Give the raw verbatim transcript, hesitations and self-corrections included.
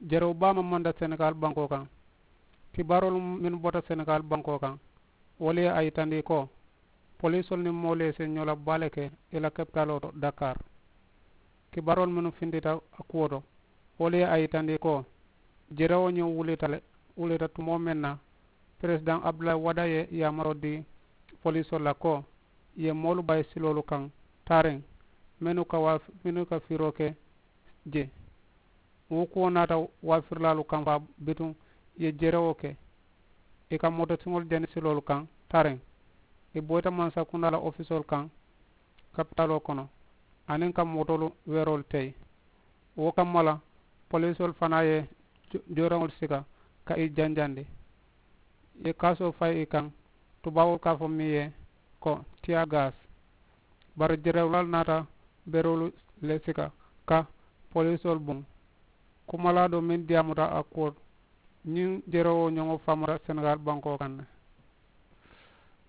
Jerew baa maŋ manta senegaal bankoo kaŋ. Kibaaroolu mennu bota senegaal bankoo kaŋ, wolu ye a yitandi ko poliisoolu niŋ moolu ye senyoo la baa le ke i la kapitaaloo to dakaar. Kibaaroolu mennu fintita a kuwo to, wolu ye a yitandi ko jerewoo ñiŋ wulita le wulita tumoo meŋ na, peresidaŋ abdulayi wada ye yaamaroo dii poliisoolu la ko ì ye moolu bayi siloolu kaŋ taariŋ mennu ka fiiroo ke je. Wo kuwo naata waafirilaalu kaŋ faa bituŋ ì ye jerewoo ke ì ka mootosiŋolu jani siloolu kaŋ taariŋ. Ì boyita mansakundaa la ofisoolu kaŋ kapitaaloo kono aniŋ ka mootoolu weeroolu teyi. Wo kamma la poliisoolu fanaa ye jooraŋolu sika ka ì janjandi. Ì ye kaasoo fayi ì kaŋ, tubaaboolu ka a fo meŋ ye ko tiyaa gaasi. Bari jerewulaalu naata beroolu le sika ka poliisoolu buŋ. Kumalaa doo meŋ diyaamuta a kuwo to, ñiŋ jerewoo ñoŋo faamuta senegaali bankoo kaŋ ne.